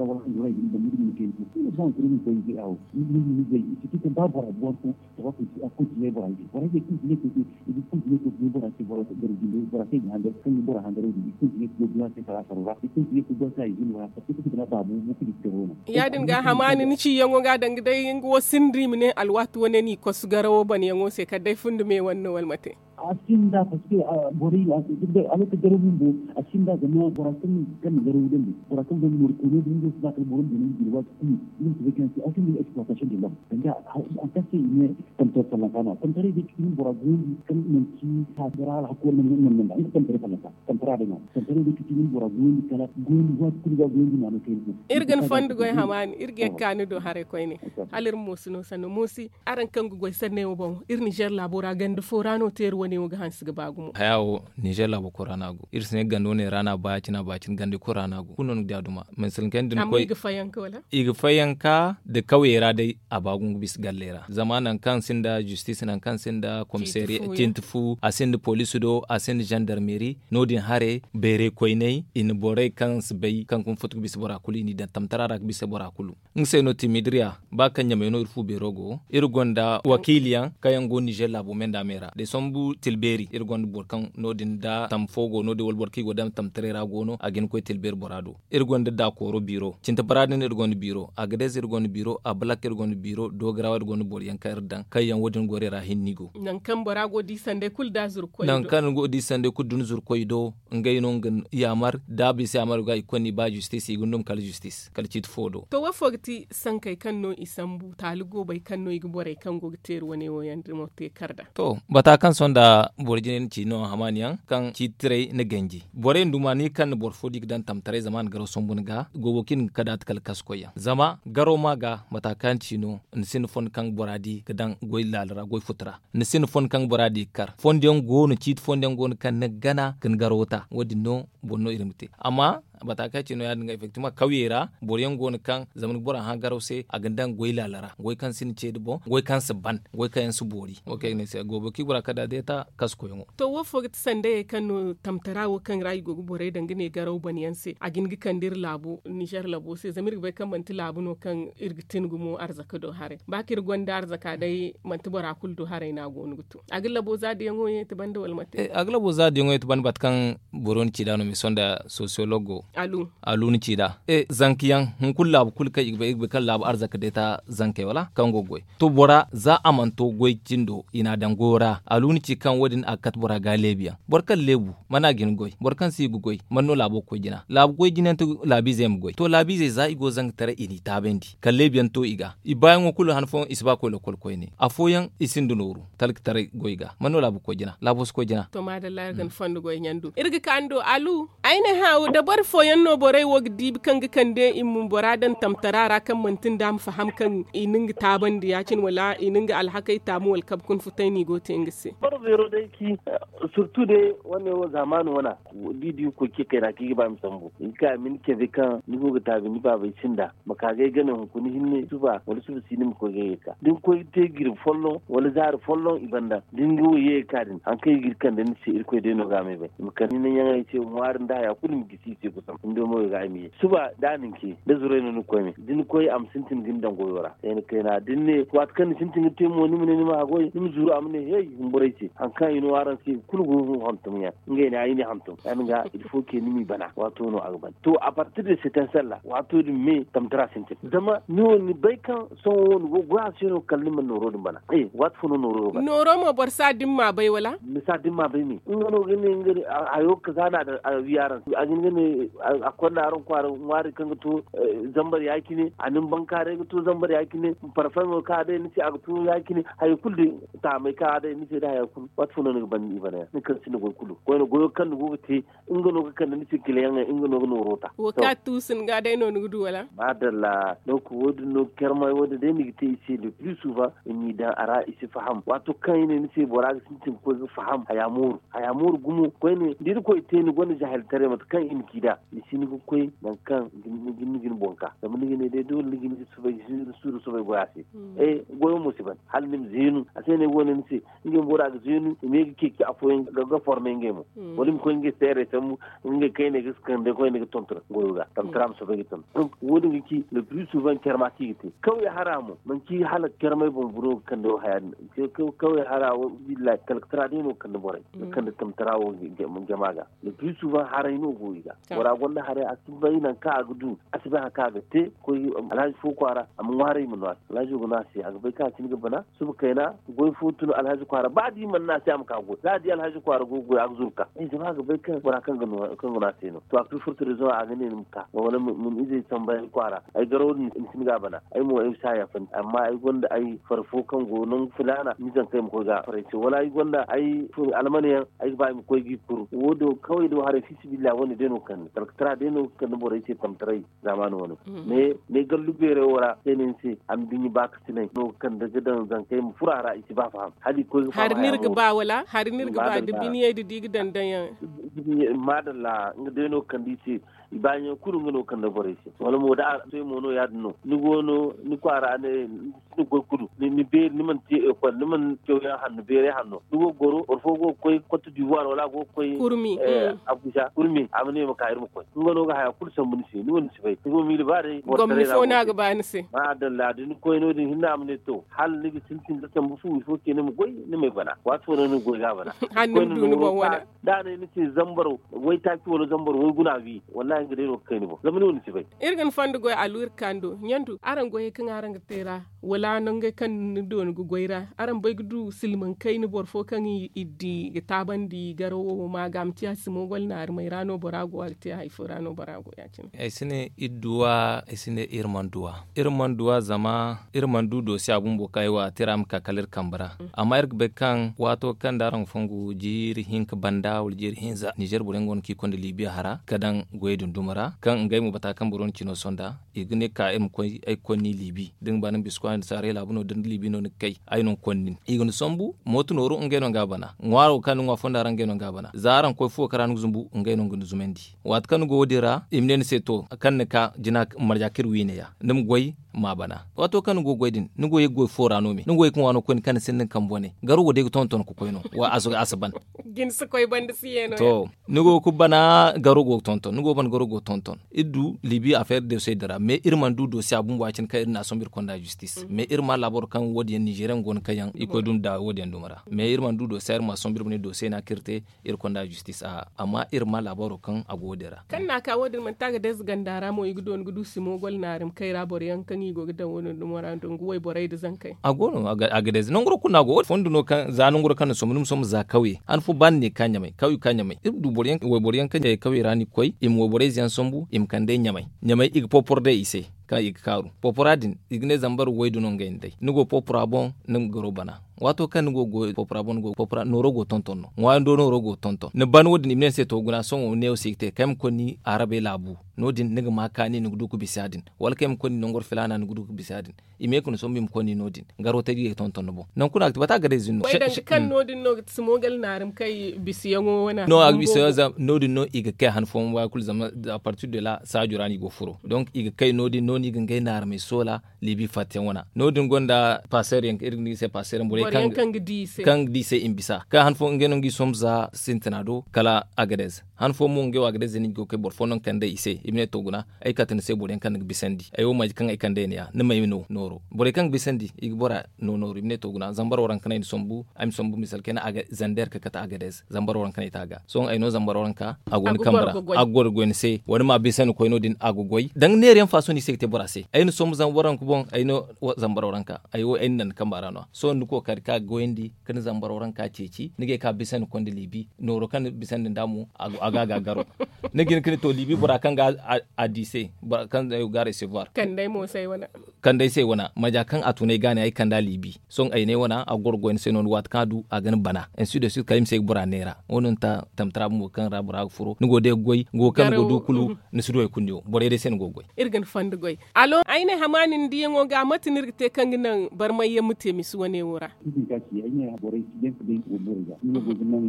ra wala handu ra i ga ni daŋ ni ga ni kayna fo ni ga ba hankuri ni koy ni ga awo ni ga ni zay i si ti kaŋ ba bora buwar fo. Tawa kulu si a kulu si ne bora ize bora ize kulu si ne kulu se i ga kulu si ne kulu si ne bora se bora se bora jinde bora se i ga hangar kaŋ ga bora hangar wo din i kulu si ne kulu bora se kala a saro ra i kulu si ne kulu bora se a ize no ra. Kulu si ne kulu bora se a ize no ra. Ya- din ga hamaani ni ciyaŋo ga a daŋ ga day nga wo sinda i ma ne alwaati wane no i kosu garawo banayaŋo se kala day fundi me wane no wala mate? A sinda paske borey a sinda alwaati garawo bumbo. A sinda zama bora kaŋ ga garawo dandi bora kaŋ gonda noori koyne bumbo si ba kala boro ma gana nga jine waati kulu. Nga ma si bay kaŋ a sinda exploitation de lom danga a kaŋ se i ne tamtara sallanka no tamtaray day ga ti nin bora goondi kaŋ manti taasi ra alhakku wala manti manti nga tamtaray sallanka. Tamtara day no tamtaray day ga ti nin bora goondi kala goondi waati kulu ga goondi maano kayna fo. Iri ga ni fondo goy hamaani iri ga yagga ka ni do haray koyne. Hala iri ma moosi no sanno moosi araŋ kaŋ ga goy sanney wo boŋ iri ninzeer laabo ra ganda fo ra no teeri wane. Neewo ga hanse ga ba gumo. Haya wo, nizer laabo kulu ra no a go. Iri si ne gando ne ra no a ba ya- cine a ba ya- cine gandi kulu ra no a go kulu no ni ga di a duma. Mansilankey din koy i ga fayanka da kawyey ra day. A ba gumo ga bisa galley ra zama nangu kaŋ sinda zistis nangu kaŋ sinda komisariya cinti fu a sinda poliisi do a sinda zandarmeri. No- din haray bayray koyney i na borey kaŋ si bay kaŋ ga ma futu ga bisa bora kulu i n'i daŋ tamtara ra ga bisa bora kulu. Nga se no timidiriya ba kaŋ ɲamay no iri fu beero go iri gonda wakiili yaŋ kaŋ yaŋ go nizer laabo me nda a me ra desambu tilbeeri iri gonda boro kaŋ no- din da tamma fo go no- din wala boro kaŋ i go daŋ tamtaray ra go no a ga hin ga koy tilbeeri bora do. Iri gonda dakooro biiro cinta bara din iri gonda biiro agadez iri gonda biiro abalak iri gonda biiro dogarawa iri gonda boro yaŋ kaŋ iri daŋ kaŋ yaŋ wo- din gorey ra hinne i go. Nangu kaŋ bora go di sanday kulu da zuru koy do. Ngey no nga yaamar da a bisa yaamar ga i ga koy no i ba zistis i ga ni dum kala zistis kala ciiti fo do. To wo fo ga ti sankey kaŋ no i sambu taali goobey kaŋ no i ga borey kaŋ go ga teeri wane wo yaŋ damo te kar da. To bata kaŋ sohõ nda boro jine ni ci no hamaani yaŋ kaŋ ciiti tiray ni ganji borey nda dumani kaŋ na boro fo di ga daŋ tamtaray zama a na garaw sambu ni ga goobo kaŋ iri ga kadaati kala kasu koy yaŋ zama garaw ma ga bata kaŋ ni ci no. Ni sinda fondo kaŋ bora di ga daŋ goy laala ra goy futu ra. Ni sinda fondo kaŋ bora di ga kar fondo yaŋ go no ciiti fondo yaŋ go no kaŋ ni ga gana ga ni garaw ta wo- din no boro no iri ma te. Amma bata kaŋ ay ci no ya- din ga effectivement kawyey ra boro yaŋ go no kaŋ zama ni ga bora hã garaw se a ga ni daŋ goy laala ra goy kaŋ si ni ce da boŋ goy kaŋ si ban goy kaŋ yaŋ si boori. Wo kaŋ ay ga ne ay se goobo kaŋ i bora kala da a deeta kasu koyyaŋo. To wo fo ga ti sandayey kaŋ no tamtara wo kaŋ ra i go ga borey daŋ ga ne garaw ban yaŋ se a ga hin ga kande iri laabo nizer laabo se zama iri ga bay kaŋ manti laabu no kaŋ iri ga tin gumo arzaka do haray ba kaŋ iri gonda arzaka day manti bora kulu do haray no a go no ga to a ga labo zaadiyaŋo yeeti banda wala mate? A ga labo zaadiyaŋo yeeti banda bata kaŋ boro ni ci da no mise sonda sosiyolog go alu ni ci da zanka yaŋ hunkuna laabu kulu kaŋ i ga bay kaŋ laabu arzaka deeta zankey wala kaŋ go ga goy. To bora za a mana to goy cindo i n'a daŋ goyo ra alu ni ci kaŋ wo- din a ga kate bora ga leebu yaŋ boro kaŋ leebu mana a ga hin ga goy boro kaŋ si ga goy mana no laabo ga koy jina laabu goy jina yaŋ ti laabiizey ma goy to laabiizey za i go zanga taray i n'i taabandi kala leebu yaŋ to i ga i baayaŋo kulu han fooyaŋ i si ba ga koy lokkol koyne afooyaŋ i sinda nooru talka taray goy ga mana no laabo ga koy jina laabo si koy jina. To maadalla iri ga ni fondo goy ɲandu iri ga ka ni do alu. Ay ne hã da boro fooyaŋ no borey wo ga diibi kaŋ ga kande i ma bora daŋ tamtara ra kaŋ manti nda a ma faham kaŋ i na nga taabandi ya- cine wala i na nga alhakey taamu wala kabe kuna futay no i go ga te nga se. Boro beero day ci surtu day wane wo zaamaani wana da i di ga koy ce kayna kaŋ i ga ba i ma sambu i ga ka i ma ni cabe kaŋ ni go ga taabi ni baabey sinda ma ka ga ay gane hunkuna hinne suba wala suba si ni ma koy ga ay ga ka da ni koy ga te jirbi folloŋ wala zaari folloŋ i banda da ni ga wo ye ga ka din hari kaŋ i ga iri kande ni se irkoy day no ga a ma ay bay i ma kande ni naŋ yaŋ ay se ŋwaari nda haya kulu i ma gisi i se gusam ni do mo i ga ay ma ye suba da a na ni ce da zuray no ni ga koy me da ni koy a ma sintin ga ni daŋ goyo ra kayna kayna da ni ne waati kaŋ ni sintin ga te mo ni ma ne ni ma haggoy ni ma zuru a ma ne hey humburay se hari kaŋ ay no araŋ se kulu go hantum yaŋ ngey ne ay ne hantum ya- din ga ilfo ke ni m'i bana waato no a ga ban to a partir de se taŋ salla waato din me tamtara sintin zama ni wo ni bay kaŋ sohõ wo ni go ga goy a se no kala ni mana nooro din bana. Waati fo no nooro go bana nooro mo boro si a dimma bay wala ni si a dimma bay me nga no ga ne nga hayo kaza no a wi araŋ se a ga hin ga ne a konda araŋ kwaara ŋwaari kaŋ ga to zambar ya- cine a na ni bankaaray ga to zambar ya- cine parfeŋo kaŋ a day ni se a ga to ya- cine haya kulu day taamay kaŋ a day ni se day haya kulu waati fo no ni ga ban i bana yaŋ ni kaŋ sinda goy kulu koyne goyo kaŋ ni go ga te nga no ga kande ni se kila yaŋey nga no ga nooro ta. Wo kaŋ a tuusu ni ga day no ni ga du wala? Maadalla donc wo- din no ga kermay wo- din day ni ga te i se le plus souvent i m'i daŋ a ra i si faham waato kaŋ i ne ni se bora ga sintin ga koy ga faham haya mooru haya mooru gumo koyne da irkoy te ni gonda jahiltaray mate kaŋ i ma ci nd'a ni si ni ga koy nangu kaŋ ni ga ni boŋ ka zama ni ga ne day doole ni ga ni ga suuru soobay goy a se. Goyo mo si ban hala ni ma zeenu a se no ay go ga ne ni se. Ngey bora ga zeenu i me ga ceeci afooyaŋ ga forme ngey mo wala i ma koy ngey seerey sambu ngey kayney ga kande koyne ga tonton goyo ga tamtara ma soobay ga tonton. Wo- din ga ci le plus souvent care ma kaŋ i ga te kawya hara mo manti hala care may boŋ boro ga kande wo haya din kawya hara wo billahi talkatara day no ga kande borey ga kande tamtara wo jama ga le plus souvent haray no go i ga bora gonda haray a si bay nangu kaŋ a ga du a si bay hari kaŋ a ga te koy alhaji fo kwaara a ma ŋwaaray ma no a se alhajo ga no a se a ga bay kaŋ a cine ga bana suba kayna goy fo tun alhaji kwaara ba da i mana ne a se a ma ka goy za a di alhaji kwaara go ga goy a ga zuru ka zama a ga bay kaŋ bora kaŋ ga no a se no to a ga tun furta rezoŋ a ga ne ni ma ka wala ma ni izey samba ay kwaara ay garaw din ni si ni ga a bana ay mo ay si a yaafandi amma ay gonda ay fari fo kaŋ go nangu filaana ni zankey ma koy ga a faray se wala ay gonda ay almane yaŋ ay ga ba ay ma koy ga i kuru wo- din kaway do haray fiisabilillahi wane day no ga kande. Alkatara day no ga kande borey se tamtaray zaamaani wane. Ne gallu beeray wo ra se no ni se a ma duɲɲa baakasinay no ga kande ga daŋ zankey ma furo a ra i si ba faham hala i koy ga faham. Hari no iri ga ba wala hari no iri ga ba da biniyey da di ga daŋ daŋ yaŋ. Maadalla nga day no ga kande i se. I baayaŋ kulu nga no ga kande borey se wala mo da a soy mo no ya- din no ni go no ni kwaara ne ni goy kulu ni beeri ni mana te ekol ni mana cawyaŋ hanno beeray hanno ni go ga goro boro fo go ga koy kotte dibuwar wala a go ga koy kurmi abuja kurmi a ma ne ma ka iri ma koy nga no ga haya kulu sambu ni se ni wo ni si bay ni go miila ba day boro taray ra go ni se. Maadalla da ni koy no- din hinne a ma ne to hala ni ga sintin ga sambu fu ifo ce ni ma goy ni ma ay bana waati fo no ni ga goy ga a bana. Hanno ni ma du ni boŋ wane. Da a ne ni se zambar waytaaci wala zambar wayguna wi wallahi nga day no ga kay ni boŋ zama ni wo ni si bay. Iri ga ni fondo goy alu iri ga ka ni do ɲandu araŋ goyey kaŋ araŋ ga te ra wala nangey kaŋ ni dooni ga goy ra araŋ bay ga du silmaŋ kayna boro fo kaŋ i di ga taabandi garo wo ma ga a ma te a si moogol naari may ra no bora go a ga te hari fo ra no bora go ya- cine. Ay si ne iri duwa ay si ne iri mana duwa iri mana duwa zama iri mana du doose a bumbo kaŋ ay wo a te ra ma ka kala iri kambe ra. Amma iri ga bay kaŋ waato kaŋ da araŋ ga fongu jiiri hinka banda wala jiiri hinza ninzeer boro yaŋ go no kaŋ i konda liibiya hara ga daŋ goyey din duma ra kaŋ ngey mo bata kaŋ boro na cino sonda i ga ne ka iri ma koy ay ga koy ni liibi da ni ga ba ni ma bisa kwaara nda saaray laabu no da ni liibi no ni ga kay ay no ga koy nin i ga ni sambu mooto nooru ngey no ga a bana ŋwaaro kaŋ ni ŋwa fonda ra ngey no ga a bana za araŋ koy fuwo kaŋ ra ni ga zumbu ngey no ga ni zumandi. Waati kaŋ ni go wo- din ra i ma ne ni se to kaŋ ni ka jina marja kaŋ iri wiine ya ni ma goy ma a bana. Waato kaŋ ni go ga goy din ni go ye ga goy fo ra no me ni go ye ga ŋwa no koyne kaŋ ni sinda ni kambe wane garo wo day ga tonton ga koy no a si ban. Ni go ga bana garo go ga tonton ni go ga bana garo go ga tonton iri du liibi afeer doosey din ra mais iri mana du doosey a bumbo ya- cine kaŋ iri n'a sombu iri konda justis mais iri ma laabaro kaŋ wo- din yaŋ ninzeeriyaŋ go no kaŋ yaŋ i koy dumi da wo- din yaŋ dumi ra mais iri mana du doosey iri ma a sombu iri ma ne doosey no a kaŋ iri te iri konda justis a amma iri ma laabaro kaŋ a go wo- din ra. Kaŋ no a ka wo- din manti a ga day za ganda ra mo i ga dooni ga du simo gol naari ma kay ra boro yaŋ kaŋ i go ga daŋ wo- din dumo ra nda nga wayborey nda zankey. A go no a ga day za nangu ra kulu no a go wo- din fondo no kaŋ za nangu ra kaŋ ni sombu ni ma sombu za kawye han fo ba ni ne ga ka ɲamay kawye ga ka ɲamay iri ma du wayboro yaŋ kaŋ ɲamay kawye ra no i ga koy i ma wayborey ze yaŋ sombu i ma kande ɲamay ɲamay i ga popor day i se. Kaŋ i ga kaaru popora din i ga ne zambar waydu no ngey nda day ni go popora boŋ ni ga garo bana. Waato kaŋ ni go ga goy popora boŋ ni go ga popora nooro go ga tonton no ŋwaayando nooro go ga tonton ni ban wo- din i ma ne ni se to guna sohõ neewo se i ga te kay ma koy ni arabey laabu. No- din ni ga ma kaani ni ga du ga bisa ya- din wala kay ma koy ni nangor filaana ni ga du ga bisa ya- din. I ma ye ga ni sombu i ma koy ni no- din garo taji ga tonton ni boŋ nangu kuna a ga ti bata a ga day zin no. Way danga kaŋ no- din no ga ti simo gal naarim kay bisiyaŋo wane no a ga bisa no- din no i ga kay han fooyaŋ waakulu zama apartir de la saajo ra no i go ga furo donk i ga kay no- din no no i ga ngey naarimey soola. Liibi fatta yaŋ wana no- din gonda paseer yaŋ iri ga ne i se paseer yaŋ borey kaŋ ga di i se i ma bisa kaŋ han fo ngey no nga i sombu za sintina do kala agadez. Han fo mo ngey wo agadez no i go ga kay boro fo no nga kande i se i ma ne to guna ay kate ni se boro yaŋ kaŋ ni ga bisandi ay wo maaji kaŋ ay kande ay ne ya ni ma ay no nooro borey kaŋ ga bisandi i ga bora no nooru i ma ne to guna zambar waranka no ay na sombu ay ma sombu misal kayna zander ka kate agadez zambar waranka no ay te a ga sohõ ay no zambar waranka a go ni kambe ra a ga goy ni se wala ma bisandi koy no- din a ga goy danga neera yaŋ faaso no i se ga te bora se ay na sombu zambar waranka boŋ ay no zambar waranka ay wo ay na naŋ ni kamba ra no- ya sohõ ni kookari kaŋ a ga goyandi ka ni zambar waranka ceeci ni ga ye ka bisandi konda liibi nooro kaŋ ni bisandi nd'a mo a ga a ga garo. Ni ga hin ka ne to liibi bora kaŋ ga a di se bora kaŋ ga a recevoir kand'ay se wana maja kaŋ a tunay ga ne ay kand'a liibi sohõ ay ne wana a ga goro goy ni se no- ni waati kaŋ a du a ga ni bana. Ainsi de suite kala ay ma se ga bora neera wo- no ni ta tamtara bumbo kaŋ ra bora ga furo ni go day ga goy ni go kaŋ ni go du kulu ni si du hari kulu ni wo borey day se ni go ga goy. Iri ga ni fondo goy alo ay ne hamaani ni diyaŋo ga mate no iri ga te kaŋ ga naŋ barmay yaŋ ma te misi wane wo ra? Iri ga ka ci ay ne borey si jaŋ ka bay nga go borey ga nga go ga naŋ.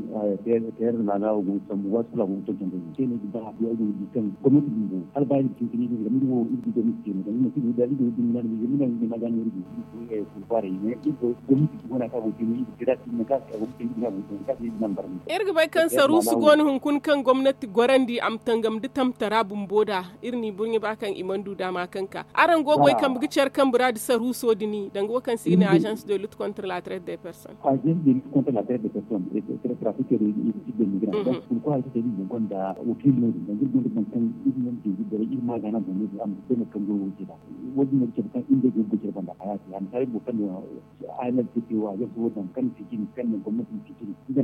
Teer da laaga wo go ga sambu waati kulu a go ga tonton day se no ga ba habu ay go ga di kaŋ gomnati bumbo hala ba iri ga tun ka ne iri ga iri wo iri ga gomnati te no zama iri ma si go da iri go ga dumi naani iri ga naŋ iri ma ga no iri go ga di. Kurkwaarey ne iri go gomnati bumbo naŋ kaŋ a go ga te no iri ga te da a si naŋ kaŋ a go ga te no iri ga naŋ barmay. Iri ga bay kaŋ saruusu go no hunkuna kaŋ gomnati gorandi a ma tangam da tamtara bumbo da iri n'i burɲe ba kaŋ i mana du daama kaŋ ka araŋ go ga goy kambe ga care kambe ra nda saruuso din danga wo kaŋ se i ga ne agence de lutte contre la traite des personnes. Agence de lutte contre la traite des personnes et trafic de migrants donc pourquoi ay ga te ni bumbo gonda wakiili no- din danga iri gonda boro kaŋ iri mana jeeji borey iri ma a gaana boŋ no- din a ma te no kaŋ goy wo- din ra. Wo- din no ga cabe kaŋ iri day go ga goy care banda haya te a ma kaaray boro kaŋ no. Ay na te te wo agence wo daŋ kaŋ na fiji ni kaŋ na gomnati na fiji ni.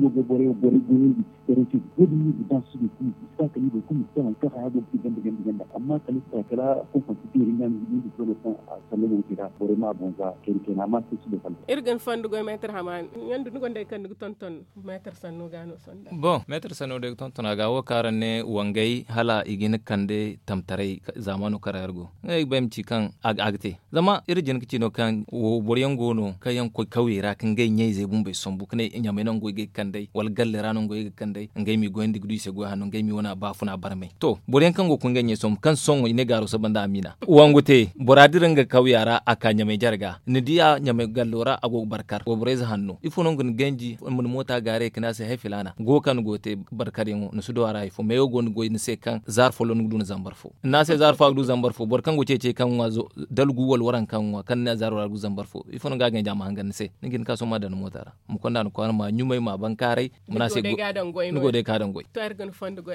iri go ga borey borey goyandi. Borey te ga goy da ni ga ba su ga kulu i si ba kala i boro kulu ma si te hari kaŋ haya go ga te ganda ganda ganda amma kala i si ta kala konkonti beeri nga no ga goy da zolo kaŋ a sallamo te ra borey ma a boŋ za kayna kayna amma se si do kala. Iri ga ni fondo goy meetar hamaani ɲandu ni gonda hari kaŋ ni ga tonton meetar sanno ga no sonda. Bon meetar sanno day ga tonton a ga wo kaŋ araŋ ne wangay hala i ga hin ga kande tamtaray zaamaano kaŋ ra iri go ngey ga bay ma ci kaŋ a ga te. Zama iri jin ga ci no kaŋ boro yaŋ go no kaŋ yaŋ ga koy kawyey ra ka ngey ɲa-izey bumbey sambu ka ne ɲamey no ngey go ga ay ga kand'ey wala galle ra no ngey go ga ay ga kand'ey ngey m'i goyandi ga du i se goy hanno ngey m'i wane a baafuna barmay to boro yaŋ kaŋ go ga koy ngey ɲa-izey sambu kaŋ sohõ i ne gaaro saba nda amiina wangu te bora dira nga kawya ra. ka ɲamay jare ga ni di a ɲamay gallo ra a go ga barkar wayborey ze hanno ifo no nga ni ganji? Ni moota gaarey ga ne a se hay filaana go kaŋ ni go ga te barkaryaŋo ni si du a ra hari fo meewo go ni goy ni se kaŋ zaari folloŋ ni ga du ni zambar fo ni ne a se zaari fo a ga du zambar fo boro kaŋ go ceecey kaŋ ŋwa dalgu wala waranka kaŋ ŋwa kaŋ ni ne a zaaro ra a ga du zambar fo ifo no ga a ganji a ma hangan ni se ni ga hin ka sohõ ma daŋ ni moota ra ma konda ni kwaara ma ɲumay ma bankaaray ma ne a se ni go day ga a daŋ goy.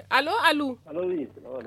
Alo alu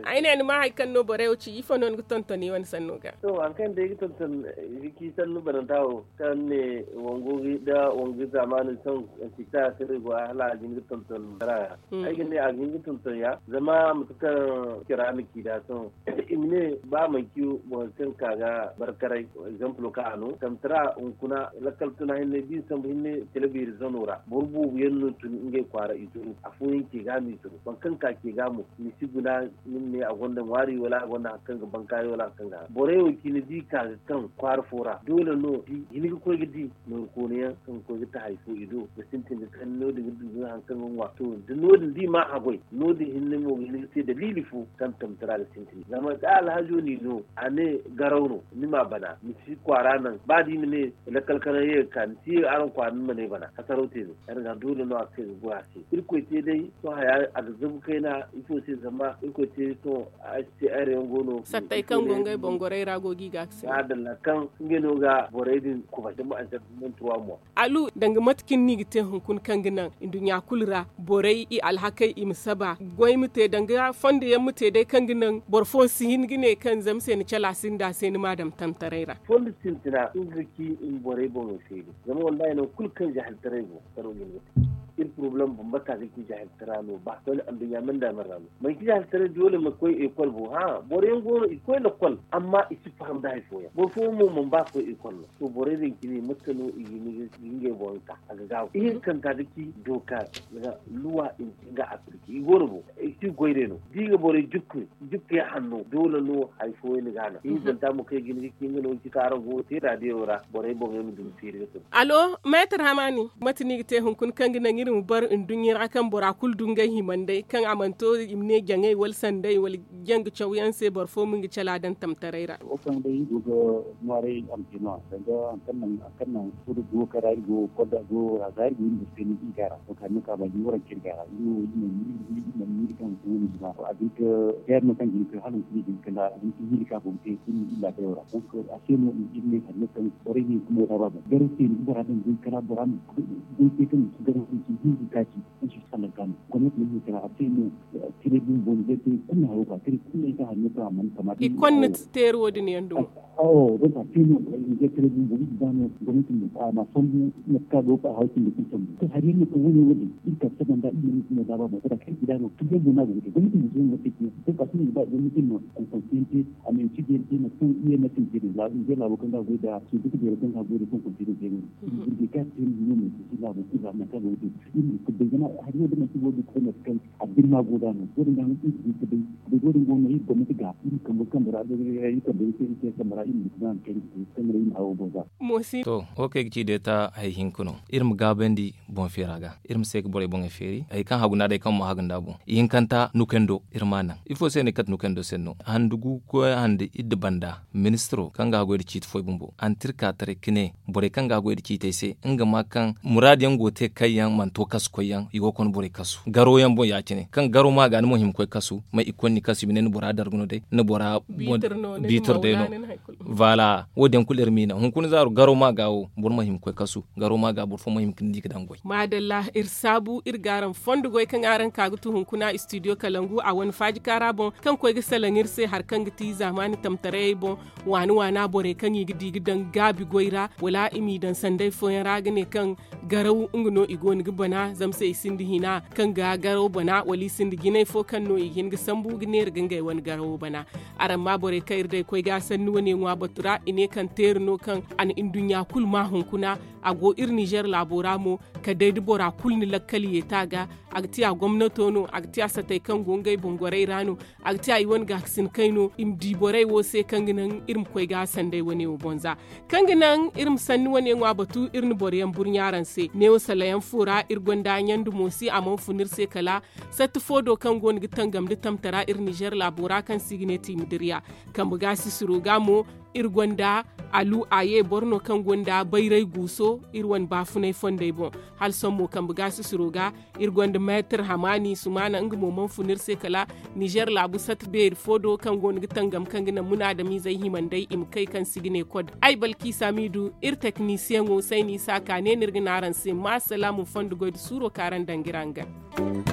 ay ne ni ma hari kaŋ no borey wo ci ifo no ni ga tonton i wane sanno ga? To hari kaŋ day ga tonton ga ci sannu bananta wo kaŋ ne wango nda wango zaamaani sohõ antikta se no ay go a hala a ga hin ga tonton ra ga ay ga ne a ga hin ga tonton ya zama mate kaŋ cira na ci nd'a sohõ i ma ne ba manci boro kaŋ ka ga barkaray egzampulo kaŋ a no tamtara hunkuna lakkal tuna hinne da i sambu hinne kala beeri zano ra boro boobo yaŋ no tun ngey kwaara i turu afooyaŋ ce ga no i turu boro kaŋ ka ce ga mo ni si guna ni ma ne a gonda ŋwaari wala a gonda hari kaŋ ga bankaaray wala hari kaŋ ga haŋ borey wo cine da i ka ga kaŋ kwaara fo ra doole no da i hin ga koy ga di nooru koona yaŋ kaŋ ga koy ga ta hari fo i do ga sintin ga kande no- din ga du ga hari kaŋ ga ŋwa to da no- din da i ma haggoy no- din hinne mo ga hin ga te daliili fo kaŋ tamtara ga sintin zama da alhazo n'i no a ne garaw no ni m'a bana ni si kwaara naŋ ba da i ma ne lakkal kanaŋ ye ga ka ni si ye araŋ kwaara ni ma ne bana hasaraw te no ya- din ga doole no a ga kay ga goy a se irkoy te day sohõ haya a ga zabu kayna ifo se zama irkoy te sohõ h c r yaŋ go no sattey kaŋ go ngey boŋ gorey ra go ga i ga a ga se maadalla kaŋ ngey no ga borey din kubay zama a ga zabu monturwa mo alu danga mate cine no i ga te hunkuna kaŋ ga naŋ nduɲɲa kulu ra borey i alhakey i ma saba goy ma te danga fondo yaŋ ma te day kaŋ ga naŋ boro fo si hin ga ne kaŋ zama se ni cala sinda se ni ma a daŋ tamtaray ra fondo sintina nga ga ci i ma borey boŋey feeri zama wallahi nangu kulu kaŋ zahiltaray go karo ga hin ga te iri porobalem bambata ga ci zahiltara no ba wala anduɲɲa manda man ra no manci zahiltaray doole ma koy ekol bo hã boro yaŋ go no i ga koy lakkol amma i si faham nda hari fooyaŋ boro fooyaŋ mo mana ba ga koy ekol no to borey din cine mate no i ga hin ga ngey boŋ ga ka a ga gaabu ihinkanta ga ci dooka luwa i ma ci nga afirki i go no boŋ i si goy day no da i ga borey jukku jukku yaŋ hanno doole no hari fooyaŋ ni ga a naŋ ihinkanta mo kaŋ i ga hin ga ci nga no ga ci kaŋ araŋ go ga te raadiyo ra borey boŋey ma du ga feeri ga tun alo meetar hamaani mate no i ga te hunkuna kaŋ ga naŋ iri ma bar nduɲɲa ra kaŋ bora kulu du ngey himandey kaŋ a mana to i ma ne jaŋey wala sanday wala janga cawyaŋ se boro fo ma nga cala daŋ tamtaray ra wo kaŋ day i go ga ŋwaaray a ma te no-ya danga hari kaŋ naŋ hari kaŋ naŋ sohõ da go kaŋ ra iri go ga kodda go a ga iri go iri ma se no iri ga a ra donk hari no kaŋ a ba jine waranka iri ga a ra iri wo iri mana miiri kaŋ hunkuna wo no jina a ga hin ka teer no kaŋ ga hin ka hala hunkuna i ga hin ka miiri kaŋ a go ga te iri ma iri laabayo ra donk a se no iri ne hari no kaŋ borey ne hunkuna wo da ba boŋ garaw se no da bora daŋ goy kala bora ma goy te kaŋ ga si garaw se hinza taaci kaŋ si salaŋ ka no gomnati ma hin kala a se no kire bumbo ni zey te kulu haro ka kire kulu ay ka hanno ka a mana kama i konna teeri wo- din yaŋ dumo awo donk a te no ni zey kire bumbo iri ga ba no gomnati ma a ma sambu mate kaŋ a go ga ba haray cindi kulu sambu to hari yaŋ no kaŋ wo- ne wo- din iri ka saba nda iri ma ni kuma zaaba boŋ kala kaŋ iri ga no kire yaŋ mo no a go ga te gomnati ma zey mo te kine donk a se no i ga ba gomnati ma konkonsiyaŋ te a ma i ci ga yaŋ te mate kaŋ i ye mate i te din za i zey laabo kaŋ ga a goy nda suudu ka beero kaŋ ga a goy nda konkonsiyaŋ te no din iri ga te no mo i ci laabo kulu ra nangu kaŋ a go ga te iri ma kulu day zama hari wo- din manti wo- din kulu mate kaŋ a ga birma go da no wo- din ga no iri ga hin ka day day wo- din go no iri gomnati ga iri kambe kambe ra iri kambe ra iri ma te kambe ra iri ma guna kaŋ iri ga te kambe ra iri ma hawo boŋ za moosi to wo kaŋ ay ga ci day ta hari hinka no iri ma gaabandi boŋ feera ga iri ma se ga borey boŋey feeri hari kaŋ hagu no a day kaŋ ma hagu nd'a boŋ ihinkanta nukando iri ma a naŋ ifo se no i kate nukando se no handu gu koy handu iddu banda ministiro kaŋ ga a goy nda ciiti fooyaŋ bumbo a na te iri ka taray ka ne borey kaŋ ga a goy nda ciitey se nga ma kaŋ muraadu yaŋ go ga te kaŋ yaŋ mana to kasu koyyaŋ i go ga konda borey kasu garo yaŋ boŋ ya- cine kaŋ garo ma ga ni mo hima koy kasu ma i ga konda ni kasu i ma ne ni bora dargu no day ni bora biitir day no. Voilà wo- din yaŋ kulu iri m'i naŋ hunkuna zaaru garo ma ga wo boro ma hima koy kasu garo ma ga boro fo ma hima ka ni di ga daŋ goy maadalla iri saabu iri ga araŋ fondo goy kaŋ araŋ ka ga tu hunkuna istidiyo kalangu a wane faaji kaara boŋ kaŋ koy ga salaŋ iri se hari kaŋ ga ti zaamaani tamtarayey boŋ waani waana borey kaŋ i ga di ga daŋ gaabi goy ra wala i m'i daŋ sanday fooyaŋ ra ga ne kaŋ garaw nga no i go no ga bana zama se i sinda hina kaŋ ga garaw bana wala i sinda jinay fo kaŋ no i ga hin ga sambu ga neera ga ngey wane garawo bana araŋ ma borey kaŋ iri day koy ga sanni wane ŋwa batu ra i ne kaŋ teeri no kaŋ a na nduɲɲa kulu ma hunkuna a go iri nizer laabo ra mo kala day da bora kulu na lakkal yeeta ga a ga ti a gomnato no a ga ti a satey kaŋ go ngey boŋ gorey ra no a ga ti a i wane gaakasin kay no i ma di borey wo se kaŋ ga naŋ iri ma koy ga sanday wane wo boŋ za kaŋ ga naŋ iri ma sanni wane ŋwa batu iri na boro yaŋ burɲa araŋ se neewo salayaŋ fo ra iri gonda ɲandumo si a mana fun iri se kala satti fo do kaŋ go no ga tangam nda tamtara iri nizer laabo ra kaŋ se i ga ne tiimadiriya kambe ga sisiro ga mo iri gonda alu a ye boro no kaŋ gonda bayray guuso iri wane baafunay fondey boŋ. Hala sohõ mo kambe gaasisiro ga iri gonda meetir hamaani sumaana nga mo mana fun iri se kala nizer laabu sata beeri fo do kaŋ go no ga tangam kaŋ ga naŋ munaadamiizey himandey i ma kay kaŋ si ga ne kod ay balkiisa m'i du iri teknisiyeŋo sayni isa ka ne no iri ga ne araŋ se ma salaamu fondo goy nda suuro kaŋ araŋ daŋ ga iri araŋ gana.